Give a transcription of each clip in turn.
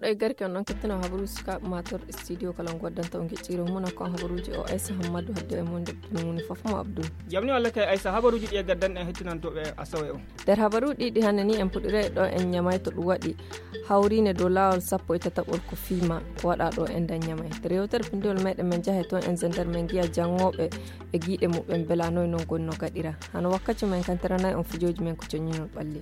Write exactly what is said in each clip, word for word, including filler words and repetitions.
Neɗɗo e garke on ɗon kettino habaruuji sukaaɓe mator studio kala on goddanta on gecciro muna kon habaruuji o Aisa Hammadu hadde e mon debbo muni fof mo Abdul. Jamni walla kay Aisa habaruuji ɗi e gaddan en hettinantooɓe asawe o. Nder habaruuji ɗi hannde ni en puɗɗiray ɗo en ñamay to ɗum waɗi hawriinde dow laawol sappo e tataɓol ko fiima ko waɗa ɗo en dañ ñamay. Rewtere pinndewol meɗen men jahe toon en zender men ngiya janngooɓe e giiɗe muɓɓen mbela noy noon goni no gaɗira. Hano wakkaci men kantiranay on fijooji men ko coññinol ɓalli.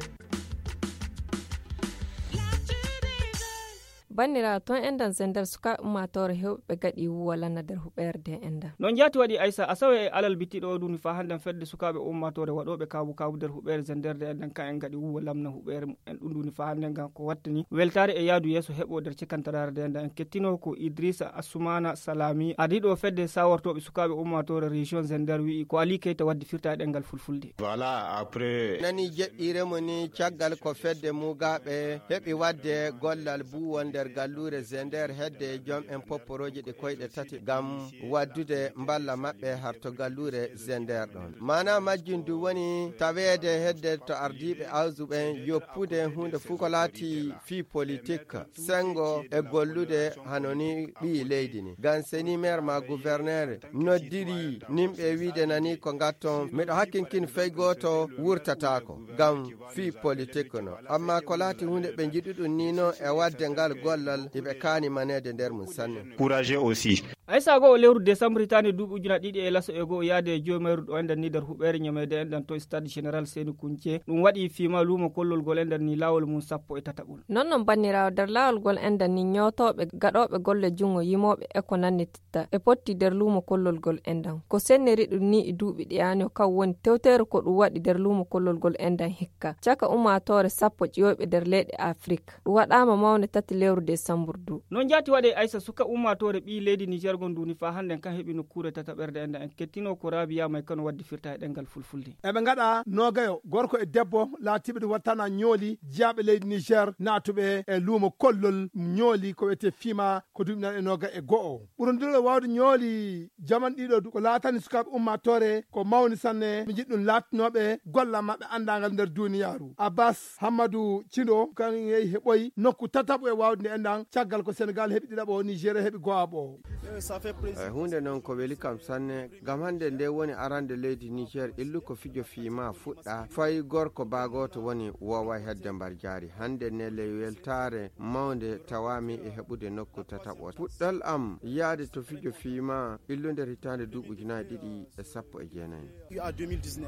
Banniraaɓe, toon enɗan zender sukaaɓe ummaatoore heewɓe ɓe gaɗi wuwa lana nder huɓeere nde enɗan. Noon jaati waɗi Aysa, asawe e alal bittiɗo o duuni faa hannden fedde sukaaɓe ummaatoore waɗooɓe kaabu kaabu nder huɓeere zender nde enɗan, ka en gaɗi wuwa lamna huɓeere mumen ɗum duuni faa hannden ngam ko wattani weltaare e yaadu yeeso heɓo nder cekantaraare nde enɗan. En kettinoo ko Idrisa Assumaana Salami, ardiiɗo fedde sawortooɓe sukaaɓe ummaatoore région zender wi'i ko Alii Keyta waddi firta e ɗemngal fulfulde. Voilà, après. Nani jeɗɗiire mo ni caggal ko fedde Mugaaɓe heɓi waɗde gollal buuwol nder galluure Zender hedde e joom en popporooji ɗi koyɗe tati ngam waddude mballa maɓɓe harto galluure Zender ɗon. Maana majjum du woni taweede hedde to ardiiɓe awsu ɓen yoppude huunde fuu ko laati fii politik, senngo e gollude hano ni ɓii leydi ni. Ngam seni meer ma guwerneer noddiri nimɓe e wiide nani ko ngatton, miɗo hakkinkin fey gooto wurtataako ngam fii politik no. Amma ko laati huunde ɓe njiɗuɗum ni no e waɗde ngal gollal iɓe kaani maneede nder mum sanne. Courageux aussi. Aysa goo lewru desambur hitaande duuɓi ujuna ɗiɗi e laso e goo yaade e joomeyru ɗo enɗan ni nder huɓeere ñameede enɗan to stade général Seni Kunce. Ɗum waɗi fiima luumo kollol gol enɗan ni laawol mum sappo e tataɓol. Non non banniraawo nder laawol gol enɗan ni ñootooɓe gaɗooɓe golle junngo yimooɓe e ko nanni ta e potti nder luumo kollol gol enɗan. Ko senniri ɗum ni e duuɓi ɗi ani o kam woni tewteere ko ɗum waɗi nder luumo kollol gol enɗan hikka. Caka ummaatoore sappo ƴiwoyɓe nder leyɗe Afrik. Ɗum waɗaama mawnde tati lewru desambur du. Noon jaati waɗe Aysa suka ummaatoore ɓii leydi Niger ngon duuni faa hannden kan heɓi nokkuure tataɓerde enɗan en kettinoo ko Rabia May Kano waddi firta e ɗemngal fulfulde. Eɓe ngaɗa noogayo, gorko e debbo laatiiɓe ɗum wattana ñooli jiyaaɓe leydi Niger naatuɓe e luumo kollol ñooli ko wiyetee fiima ko duuɓi nan e nooga e go'o. Ɓurondiro waawde ñooli jaman ɗiɗo du ko laatani sukaaɓe ummaatoore ko mawni sanne. Mi jiɗi ɗum laatnooɓe golla maɓɓe anndangal nder duuniyaaru. Abbas Hammadu Cindo kan yehi heɓoyi nokku tataɓo e waawde nde enɗan caggal ko Senegal heɓi ɗiɗaɓo, Nigeria heɓi go'aɓo. Eh, huunde noon ko weli kam sanne, ngam hannde nde woni arande leydi Niger illu ko fijo fiima fuɗɗa, fay gorko baagooto woni wooway hedde mbar jaari. Hannde ne ley weltaare mawnde tawaami e heɓude nokku tataɓo. Puɗɗal am yaade to fijo fiima illu nder hitaande duuɓi ujunaaji ɗiɗi e sappo e jeenayi.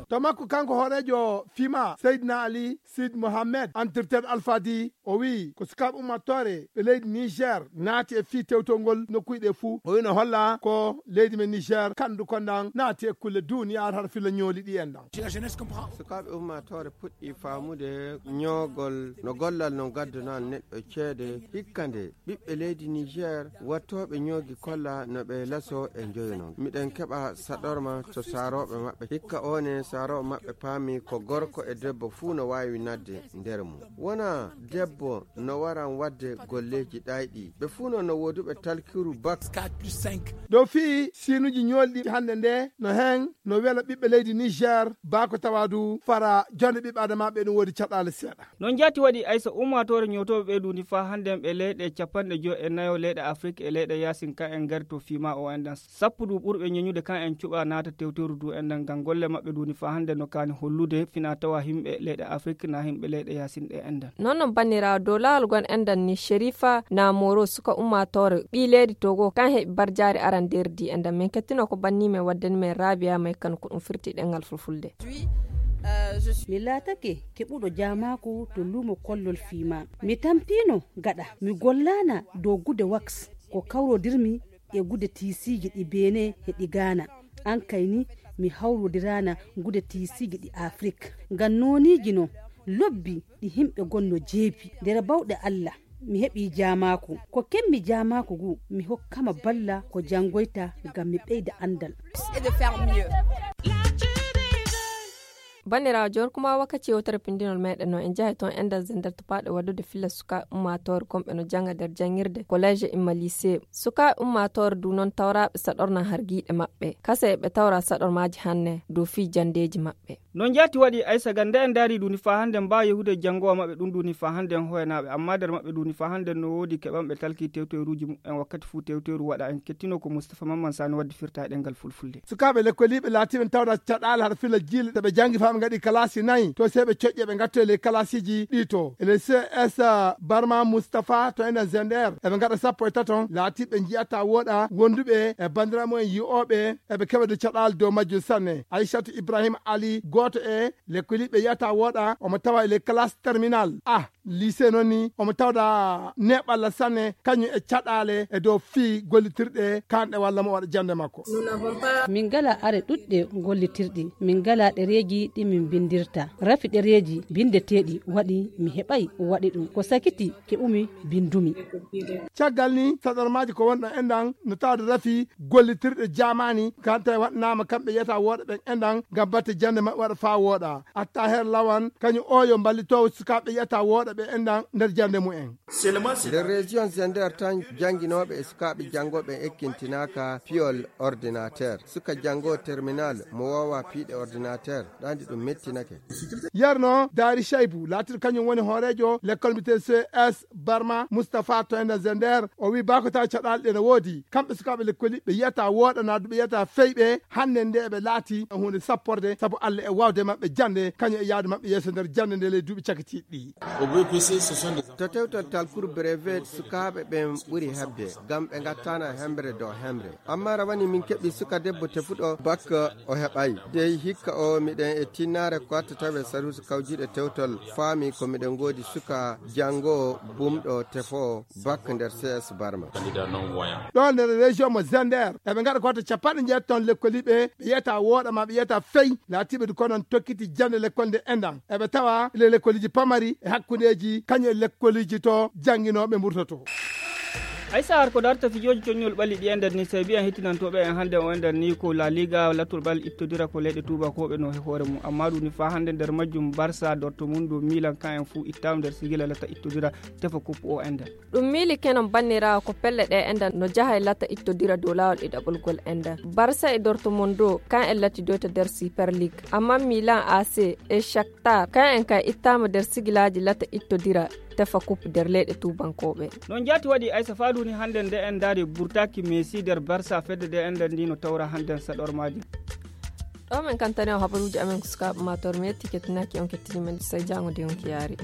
To makko kanko hooreejo fiima, Seydina Ali Sid Mohamed, entretien Alfadi, o wi'i ko sukaaɓe ummaatoore ɓe leydi Niger naati e fii tewtol ngol nokkuuji ɗe fuu. O wi'i no holla ko leydi men Niger kanndu kondan naati e kulle duuniyaaru har filla ñooli ɗi enɗan. Sukaaɓe ummaatoore puɗɗi faamude ñoogol no gollal no gaddunal neɗɗo ceede hikka nde ɓiɓɓe leydi Niger wattooɓe ñoogi kolla no ɓe laso e njoyo non. Miɗen keɓa saɗorma to saarooɓe maɓɓe. Hikka one saarooɓe maɓɓe paami ko gorko e debbo fuu no waawi nadde nder mum. Wona debbo no waran waɗde golleeji ɗayɗi. Ɓe fuu non no wooduɓe talkiru bak. Dow fii siinuuji ñoolɗi hannde nde no heen no wela ɓiɓɓe leydi Niger, baa ko tawa du fara jonde ɓiɓɓe adamaaɓe no woodi caɗaale seeɗa. Noon jaati waɗi Aysa ummaatoore ñootooɓe ɓe duundi faa hannden ɓe leyɗe capanɗe joy e nayo leyɗe Afrik e leyɗe yaasin ka en ngari to fiima o enɗan. Sappo du ɓurɓe ñeñude kan en cuɓa naata tewteru du enɗan ngam golle maɓɓe duundi faa hannden no kaani hollude fina tawa himɓe leyɗe Afrik na himɓe leyɗe yaasin ɗe enɗan. Noon noon banniraawo dow laawol gon enɗan ni Sherifa Namoro suka ummaatoore ɓii leydi Togo kan heɓi barjaari aran nder di enɗan. Min kettino ko banni men waddani men Rabia May Kano ko ɗum firti ɗemngal fulfulde. Mi laatake keɓuɗo jaamaaku to luumo kollol fiima. Mi tampiino gaɗa mi gollaana dow gude wax ko kawrodirmi e gude tiisiiji ɗi Benin e ɗi Ghana. An kay ni mi hawrodiraana gude tiisiiji ɗi Afrik. Ngam nooniiji no lobbi ɗi himɓe gonno jeebi. Nder bawɗe Allah mi heɓii jaamaaku. Ko kemmi jaamaaku ngu mi hokkama balla ko janngoyta ngam mi ɓeyda anndal. Banndiraawo joor kuma wakkati yewtere pindinol meɗen no en jahay toon ender zender topaaɗe waddude filla sukaaɓe ummaatoore gomɓe no jannga nder janngirde kolleeje imma lycée. Sukaaɓe ummaatoore du noon tawraaɓe saɗorna hargiiɗe maɓɓe kasa eɓe tawra saɗormaaji hannde dow fii janndeeji maɓɓe. No njaati waɗi aysa ga nde en ndaari ɗum ni faa hannde mbaawa yahude janngowa maɓɓe ɗum ɗum ni faa hannde en hoyanaaɓe amma nder maɓɓe ɗum ni faa hannde no woodi keɓanɓe talki tewteeruuji muɓɓen wakkati fuu tewteeru waɗa en kettino ko mustapha mamman sani waddi firta e ɗemngal fulfulde. Sukaaɓe lekkoliiɓe laatiiɓe tawra caɗaale hara filla jiile ɗe ɓe janngi faa ɓe ngaɗi kalaasi nayi to sey ɓe coƴƴe ɓe ngattoye ley kalaasiiji ɗi to e ley cs barma mustapha to enen zender eɓe ngaɗa sappo e taton laatiiɓe njiyata wooɗa wonduɓe e banndiraaɓe mumen yi'ooɓe eɓe keɓa de caɗaale dow majjum sanne. Aysatu ibrahima ali gooto e lekkoliiɓe yiyata wooɗa omo tawa e ley kalaas terminal a lycée noon ni omo tawda neeɓalla sanne kañum e caɗaale e dow fii gollitirɗe kanɗe walla mo waɗa jannde makko. Min ngala are ɗuɗɗe gollitirɗi min ngala ɗereeji ɗi min mbindirta rafi ɗereeji binndeteeɗi waɗi mi heɓay waɗi ɗum ko sakiti keɓumi binndumi. Caggal ni saɗormaaji ko wonɗo enɗan no tawde rafi gollitirɗe jaamaani kante waɗanaama kamɓe yiyata wooɗa ɓen enɗan ngam batte jannde maɓɓe waɗa faa wooɗa. Attaher lawan kañum o yo mballitoowo sukaaɓe yiyata wooɗa ɓe enɗan nder jannde mumen. Nder région zender tan jannginooɓe e sukaaɓe janngooɓe en ekkintinaaka piyol ordinateur suka janngoo terminal mo woowa piiɗe ordinateur ɗaandi ɗum mettinake. Yerno daari chaybu laatiiɗo kañum woni hooreejo lekkol mbiyetee cs barma mustapha to enda zender o wii baa ko tawa caɗaale ɗe no woodi kamɓe sukaaɓe lekkoli ɓe yiyata wooɗa naa du ɓe yiyata feyɓe hannde nde eɓe laati huunde sapporde sabu allah e waawde maɓɓe jannde kañum e yahde maɓɓe yeeso nder jannde nde ley duuɓi cakitiiɗi ɗi. To tewtal talkuru brevet sukaaɓe ɓen ɓuri heɓde ngam ɓe ngattaana hemre dow hemre. Amma rawane min keɓi suka debbo tefuɗo bak o heɓay dey hikka o miɗen e tinnaare ko atta tawe saruusi kawjiiɗe tewtol faami ko miɗen ngoodi suka janngo bumɗo tefo bak nder cs barma. Ɗo nder région mo zender eɓe ngaɗa ko watta capanɗe njeetati ton lekkoliiɓe ɓe yiyata wooɗa ma ɓe yiyata fey laatiiɓe du konon tokkiti jannde lekkol nde enɗan eɓe tawa le lekkoliji pamari e hakkundeji kañum e lekkoliji to jannginooɓe mburtoto. Ay sahar ko darta fijooji coññol ɓalli ɗi e nder ni sey mbiyan hettinantooɓe en hannde o e nder ni ko la liga lattol ɓal ittodira ko leyɗe tuubakooɓe no he hoore mum amma ɗum ni faa hannde nder majjum barsa dorto mum dow milan kan en fuu ittaama nder sigila latta ittodira tefa koppu o e nder. Ɗum miili kenon banniraawo ko pelle ɗe enɗan no jaha e latta ittodira dow laawol ɗiɗaɓol gol enɗan barsa e dorto mum dow kan en latti doyta nder super ligue amma milan ac e shaktar kan en kay ittaama nder sigilaaji latta ittodira tefa kup nder leyɗe tuubankooɓe. Noon jaati waɗi aysa faaduuni hannden nde en ndaari burtaaki meesi nder barsa fedde nde enɗan ndi no tawra hannden saɗormaaji. Ɗo men kantani o habaruuji amen ko sukaaɓe ma tor metti kettinaaki on kettini men sey jaango de on kiyaari.